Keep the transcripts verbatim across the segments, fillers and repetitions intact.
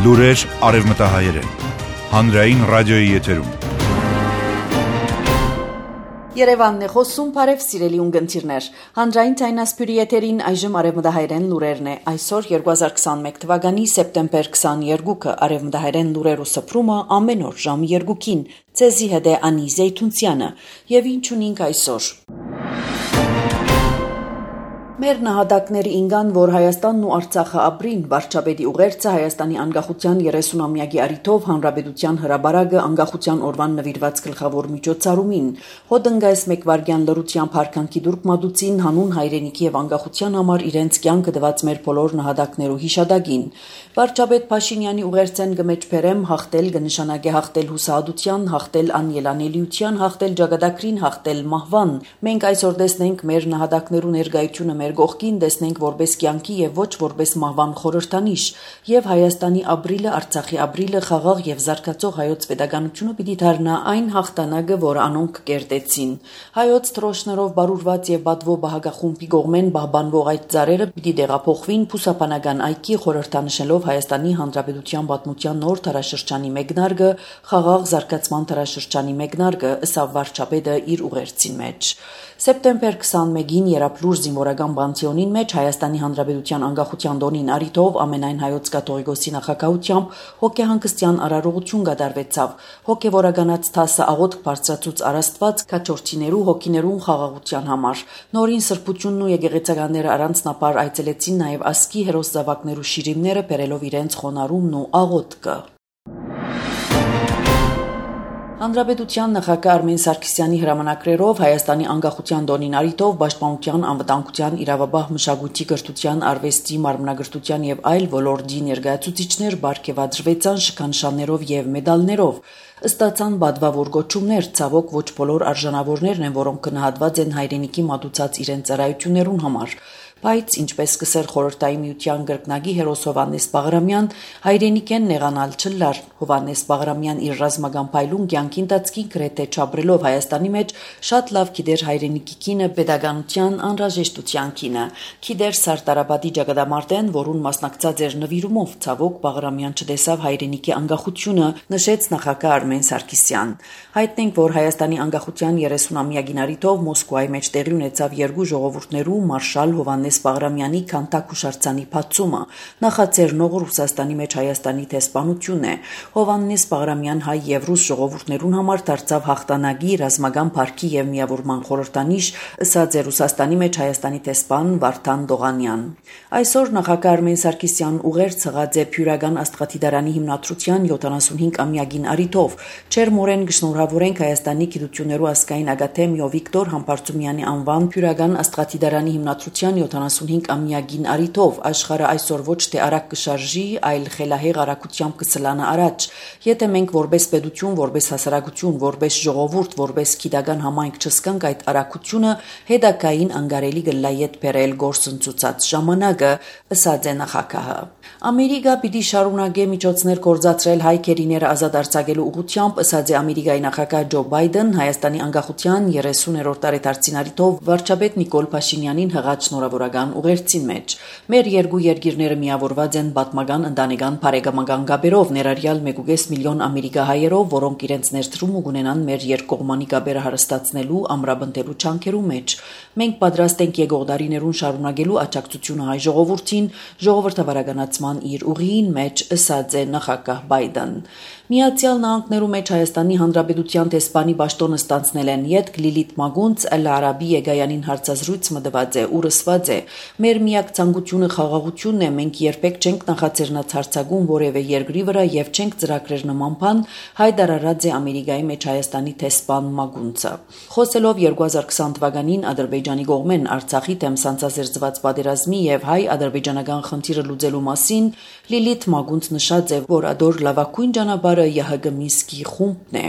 Լուրեր արևմտահայերեն, հանրային ռադիոյի եթերում։ Երևանն է խոսում, բարև սիրելի ունգընտիրներ։ Հանրային ցայնասպյուրի եթերին այժմ արևմտահայերեն լուրերն է։ Այսօր երկու հազար քսանմեկ թվականի սեպտեմբեր քսաներկուը արևմտահայերեն լուրերու սփռումը ամեն օր ժամը երկուին։ Ցեզի հետ է Անի Զեյթունցյանը, եւ ինչ ունենք այսօր։ Մեր նահատակների ինգան, որ Հայաստանն ու Արցախը ապրին, վարչապետի ուղերձը Հայաստանի անկախության երեսունամյակի առիթով Հանրապետության հրաբարակը անկախության օրվան նվիրված գլխավոր միջոցառումին, հոդընկայս մեկ վարքյան լրությամբ հարկանքի դուրք մատուցին հանուն հայրենիքի եւ անկախության համար իրենց կյանքը դված մեր բոլոր նահատակներու հիշադակին։ Վարչապետ Փաշինյանի ուղերձեն գմեջբերեմ հաղթել կնշանակե հաղթել հուսահատության, հաղթել անելանելիության, հաղթել ճակատագրին, հաղթել մահվան։ Մենք այսօր տեսնենք մեր նահատակներու ներկայությունը մեր գողքին, տեսնենք որպես կյանքի եւ ոչ որպես մահվան խորհրդանիշ, եւ Հայաստանի ապրիլը, Արցախի ապրիլը խաղաղ եւ զարգացող հայոց պետականությունը պիտի դառնա այն հաղթանակը, որ անոնք կերտեցին։ Հայոց թրոշներով բարուրված եւ բադվո բահագախումբի կողմեն պահպանվող այդ ծառերը պիտի դեղափոխվին փուսապանական այգի, խորհրդանշելով Հայաստանի Հանրապետության պատմության նոր տարաշրջանի մեկնարկը, խաղաղ զարգացման տարաշրջանի մեկնարկը, ըստ վարչապետը իր ուղերձի մեջ։ Սեպտեմբեր քսանմեկին Երապլուր զինվորական բանտիոնին մեջ Հայաստանի Հանրապետության անկախության տոնին առիթով ամենայն հայոց կաթողիկոսի նախագահությամբ հոգեհանգստյան արարողություն կատարվեցավ։ Հոգևորականաց տասը աղոթք բարձրացուց Արաստված քաջորդիներու հոգիներուն խաղաղության համար։ Նորին սրբությունն ու եկեղեցականները առանձնապար այցելեցին նաև ասկի հերոս զավակներու շիրիմները բերելով իրենց խոնարհումն ու աղոթքը։ Հանրապետության նախագահ Արմեն Սարգսյանի հրամանակրերով Հայաստանի անկախության տոնին առիթով Պաշտպանության, անվտանգության, իրավաբահ մշակույթի, կրթության, արվեստի, մարմնագրթության եւ այլ ոլորտի ներկայացուցիչներ բարգեւադրվեցան շքանշաններով եւ մեդալներով։ Ստացան բադվավոր գոչումներ, ցավոք ոչ բոլոր արժանավորներն են, որոնք գնահատված են հայրենիքի մատուցած իրենց ծառայություններուն համար։ Բայց ինչպես կսեր խորհրդային միության գրկնագի հերոս Հովանես Բաղրամյան, հայրենիքեն նեղանալ չլար։ Հովանես Բաղրամյան իր ռազմական փայլուն կյանքի ընթացքին գրեթե չապրելով Հայաստանի մեջ շատ լավ գիտեր հայրենիքի կինը, պետականության անհրաժեշտության կինը։ Գիտեր Սարտարաբադի ճակատամարտեն, որուն մասնակցած էր նվիրումով, ցավոք Բաղրամյան չտեսավ հայրենիքի անկախությունը, նշեց նախագահ Արմեն Սարգսյան։ Հայտնենք, որ Հայաստանի անկախության երեսունամյակին առիթով Մոսկվայի մեջ տեղի ունեցավ երկու ժողովուրդներու մարշալ Հովանես Բաղրամյանի քանտակ հուշարձանի բացումը, նախաձեռնող Ռուսաստանի մեջ Հայաստանի տեսփանությունն է։ Հովանես Բաղրամյան հայ եւ ռուս ժողովուրդներուն համար դարձավ հաղթանակի, ռազմական փառքի եւ միավորման խորհրդանիշ, ըստ Ռուսաստանի մեջ Հայաստանի տեսփան Վարդան Դողանյան։ Այսօր նախագահ Արմեն Սարգսյան ուղերձ հղած է Փյուրական աստղադիտարանի հիմնադրության յոթանասունհինգամյակին առիթով։ Չերմորեն գշնորհավորենք Հայաստանի գիտություններու ազգային ակադեմիո Վիկտոր Համբարձումյանի անվան Փյուրական աստղադիտարանի հիմնադրության յոթանասունհինգամյակին առիթով աշխարհը այսօր ոչ թե արագ կշարժի, այլ խելահեղ արագությամբ կսլանա առաջ։ Եթե մենք որպես պետություն, որպես հասարակություն, որպես ժողովուրդ, որպես գիտական համայնք չսկանք այդ արագությունը, հետագային անկարելի կլա ետ բերել գործընծուցած ժամանակը, ըստ է նախագահը։ Ամերիկա պիտի շարունակե միջոցներ գործադրել հայ քերիները ազատ արձակելու ուղղությամբ, ըստ է Ամերիկայի նախագահ Ջո Բայդեն Հայաստանի անկախության երեսուներորդ տարեդարձին առիթով վարչապետ Նիկոլ Փաշինյանին հղած շնորհավորական ուղերձին մեջ։ Մեր երկու երկիրները միավորված են պատմական ընտանեկան բարեկամական գաբերով, ներառյալ մեկ կես միլիոն ամերիկահայերով, որոնք իրենց ներդրումը կունենան մեր երկկողմանի գաբերը հարստացնելու, ամրապնդելու չանքերու մեջ։ Մենք պատրաստ ենք եկող դարիներուն շարունակելու աջակցությունը հայ ժողովրդին, ժողովրդավարականացման իր ուղիին մեջ, ըստ է նախագահ Բայդեն։ Միացյալ Նահանգներու մեջ Հայաստանի Հանրապետության տեսփանի պաշտոնը ստանցնել են յետք Լիլիթ Մագունց Էլ Արաբի Եգայանին հարցազրույց մտված է ու ռսված է։ Մեր միակ ցանկությունը խաղաղությունն է, մենք երբեք չենք նախաձեռնած հարցակում որևէ երկրի վրա եւ չենք ծրագրեր նման բան, հայտարարած է Ամերիկայի մեջ Հայաստանի տեսփան Մագունցը։ Խոսելով երկու հազար քսան թվականին Ադրբեջանի կողմեն Արցախի դեմ սանձազերծված պատերազմի եւ հայ-ադրբեջանական խնդիրը լուծելու մասին, Լիլիթ Մագունց նշած է, որ ադոր լավագույն ճանապարհը ԵՀԳ Մինսկի խումբն է։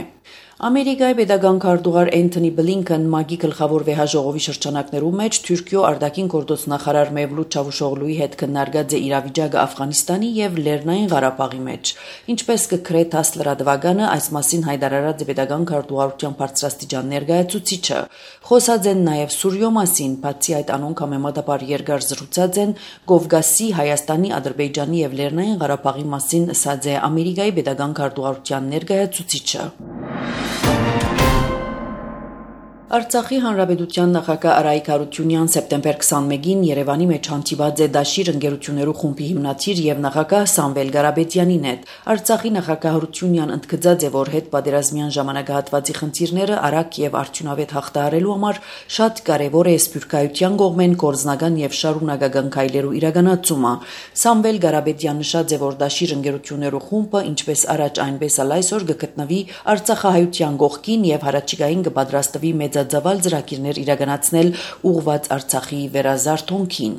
Ամերիկայի պետական քարտուղար Էնթոնի Բլինքեն ՄԱԳ-ի գլխավոր վեհաժողովի շրջանակներում մեջ Թուրքիո արտաքին գործոստնախարար Մևլութ Չավուշօղլուի հետ քննարկած է իրավիճակը Աֆղանստանի եւ Լեռնային Ղարաբաղի մեջ։ Ինչպես կգրե ՏԱՍՍ լրատվականը, այս մասին հայտարարած է պետական քարտուղարության բարձրաստիճան ներկայացուցիչը։ Խոսած են նաեւ Սուրիո մասին, բացի այդ անոնք համեմատաբար երկար զրուցած են Կովկասի, Հայաստանի, Ադրբեջանի եւ Լեռնային Ղարաբաղի մասին, ասած է Ամերիկայի պետական քարտուղարության ներկայացուցիչը։ Արցախի հանրապետության նախագահ Արայիկ Հարությունյան սեպտեմբեր քսանմեկին Երևանի մեջ հանդիպած է Դաշիր ընկերություններու խումբի հիմնադիր եւ նախագահ Սամվել Գարաբետյանին հետ։ Արցախի նախագահ Հարությունյան ընդգծած է, որ հետպատերազմյան ժամանակահատվածի խնդիրները արագ եւ արդյունավետ հաղթահարելու համար շատ կարեւոր է սփյուռքայության կողմեն գործնական եւ շարունակական քայլերու իրականացումը։ Սամվել Գարաբետյան նշած է, որ Դաշիր ընկերություններու խումբը ինչպես առաջ այնպես էլ այսօր կգտնվի Արցախահայության կողքին եւ հարաճիգային կպատրաստվի մեծ ձավալ ծրագիրներ իրականացնել ուղղված Արցախի վերազարթոնքին։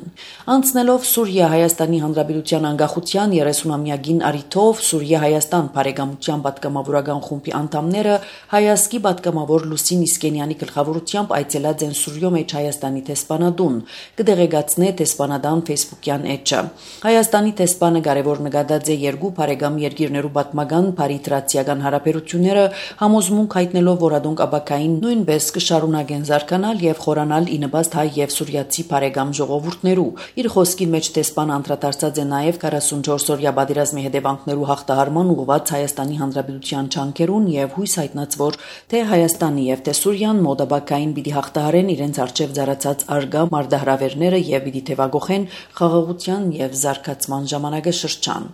Անցնելով Սուրիա-Հայաստանի Հանրապետության անկախության երեսունամյակին առիթով Սուրիա-Հայաստան բարեկամության պատգամավորական խումբի անդամները հայազգի պատգամավոր Լուսին Իսկենյանի գլխավորությամբ այցելած են Սուրիո մեջ Հայաստանի տեսփանատուն։ Կդեղեկացնե տեսփանադան Facebook-յան էջը։ Հայաստանի տեսփանը կարևոր նկատած է երկու բարեկամ երկիրներու պատմական բարիտրացիական հարաբերությունները համոզմունք հայտնելով, որ ադոնք աբակային նույնպես շարունակեն զարգանալ եւ խորանալ ի նպաստ հայ եւ սուրիացի բարեկամ ժողովուրդներու։ Իր խոսքի մեջ տեսփանը անդրադարձած է նաեւ քառասունչորս-օրյա պատերազմի հետևանքներու հաղթահարման ուղղված Հայաստանի Հանրապետության ջանքերուն եւ հույս հայտնած, որ թե Հայաստանի եւ թե Սուրիան մոդաբակային պիտի հաղթահարեն իրենց արչեւ ծառացած արգա մարտահրավերները եւ պիտի թևակողեն խաղաղության եւ զարգացման ժամանակաշրջան։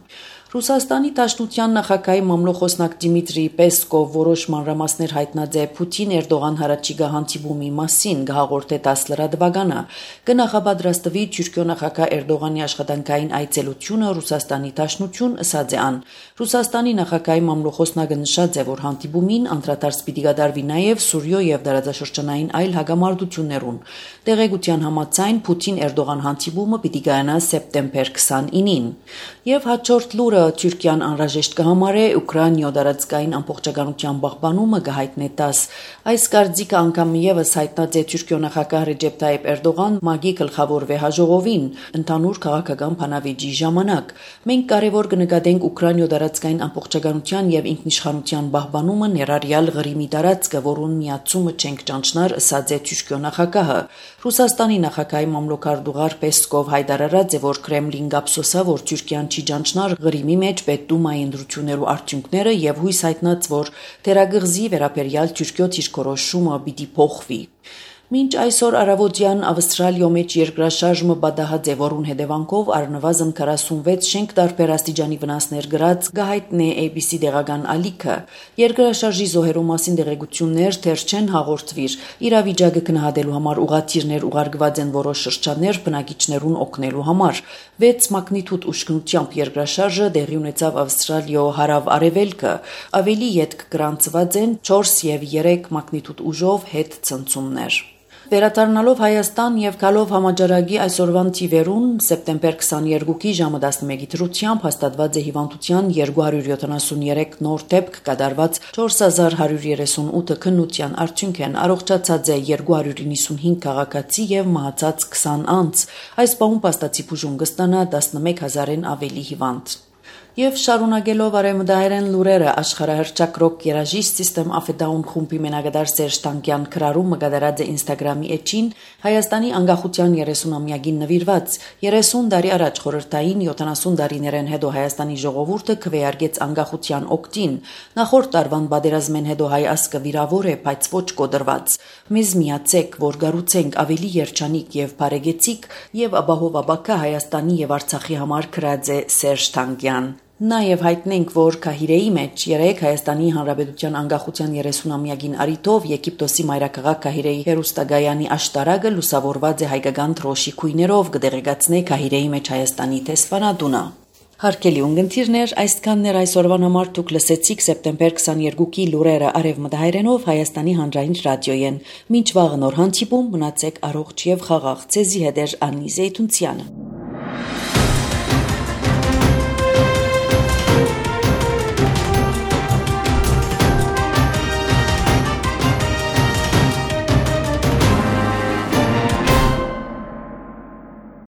Ռուսաստանի Դաշնության նախագահի մամլոխոսնակ Դիմիտրի Պեսկով որոշ մանրամասներ հայտնած է Պուտին-Էրդողան հարաճիգա հանդիպումի մասին, գահաղորդե ՏԱՍՍ լրատվականը։ Կնախապատրաստվի Թուրքիո նախագահ Էրդողանի աշխատանքային այցելությունը Ռուսաստանի Դաշնություն, ըսած է ան։ Ռուսաստանի նախագահի մամլոխոսնակը նշած է, որ հանդիպումին անդրադարձ պիտի կատարվի նաեւ Սուրիո եւ տարածաշրջանային այլ հագամարտություններուն։ Տեղեկության համաձայն Պուտին-Էրդողան հանդիպումը պիտի կայանա սեպտեմբեր քսանինին։ Եվ հաջորդ լուրը Թուրքիան անհրաժեշտ կհամարե Ուկրաինայո տարածքային ամբողջականության պահպանումը կհայտնի ՏԱՍՍ։ Այս կարծիքը անգամ եւս հայտնած է Թուրքիո նախագահ Ռեջեփ Թայիփ Էրդողան ՄԱԳ-ի գլխավոր վեհաժողովին ընդհանուր քաղաքական բանավեճի ժամանակ։ Մենք կարևոր կնկատենք Ուկրաինայո տարածքային ամբողջականության եւ ինքնիշխանության պահպանումը ներառյալ Ղրիմի տարածքը, որուն միացումը չենք ճանչնար, ըսած է Թուրքիո նախագահը։ Ռուսաստանի նախագահի մամլոքարտուղար Պեսկով հայտարարած է, որ Կրեմլին կապսոսա, որ Թուրքիան չի ճանչնար Ղրիմի մեջ պետդումայի ընտրություններու արդյունքները եւ հույս հայտնած, որ թերագղզի վերաբերյալ Թուրքիո դիրքորոշումը պիտի փոխվի։ Մինչ այսօր առավոտյան Ավստրալիո մեջ երկրաշարժը պատահած է, որուն հետևանքով առնվազն քառասունվեց շենք տարբեր աստիճանի վնասներ գրած գահիտնե A B C դեղական ալիքը։ Երկրաշարժի զոհերու մասին դեղեցություններ դեռ չեն հաղորդվիր։ Իրավիճակը գնահատելու համար ուղղաթիռներ ուղարկված են որոշ շրջաններ բնակիչներուն օգնելու համար։ վեց մագնիտուդ ուշքնությամբ երկրաշարժը տեղի ունեցավ Ավստրալիո հարավ-արևելքը։ Ավելի ետք գրանցված են չորս եւ երեք մագնիտուդ ուժով հետ ցնցումներ։ Վերադառնալով Հայաստան եւ գալով համաճարակի այսօրվան թիվերուն սեպտեմբեր քսաներկուի ժամը տասնմեկի դրությամբ հաստատված է հիվանդության երկու հարյուր յոթանասունյերեք նոր դեպք կատարված չորս հազար հարյուր երեսունութ քննության արդյունքեն առողջացած է երկու հարյուր նվսունհինգ քաղաքացի եւ մահացած քսան անձ։ Այս բանում փաստացի բուժում կստանա տասնմեկ հազարեն ավելի հիվանդ։ Եվ շարունակելով արևմտահայերեն լուրերը աշխարհահռչակ երաժիշտ System of a Down խումբի մենակատար Սերժ Տանկյան քրարումը կատարած է Instagram-ի էջին Հայաստանի անկախության երեսունամյակին նվիրված։ երեսուն տարի առաջ խորհրդային յոթանասուն տարիներեն հետո Հայաստանի ժողովուրդը քվեարկեց անկախության օգտին։ Նախորդ տարվան պատերազմեն հետո հայ ազգը վիրավոր է, բայց ոչ կոդրված։ Մեզ միացեք, որ գառուցենք ավելի երջանիկ եւ բարեգեցիկ եւ ապահով ապակա Հայաստանի եւ Արցախի համար քրած է Սերժ Տանկյան։ Նաև հայտնենք, որ Կահիրեի մեջ երեք Հայաստանի Հանրապետության անկախության երեսունամյակին առիթով Եգիպտոսի մայրաքաղաք Կահիրեի հերոստագայանի աշտարակը լուսավորված է հայկական թրոշի քույներով, կդեղեկացնե Կահիրեի մեջ Հայաստանի տեսփանատունը։ Հարգելի ունգընտիրներ, այսքաններ այսօրվան համար դուք լսեցիք սեպտեմբեր քսաներկուի լուրերը արևմտահայերենով Հայաստանի հանրային ռադիոյեն։ Մինչ վաղ նոր հանդիպում մնացեք առողջ եւ խաղաղ։ Ցեզի հետ է Աննի Զեյթունցյանը։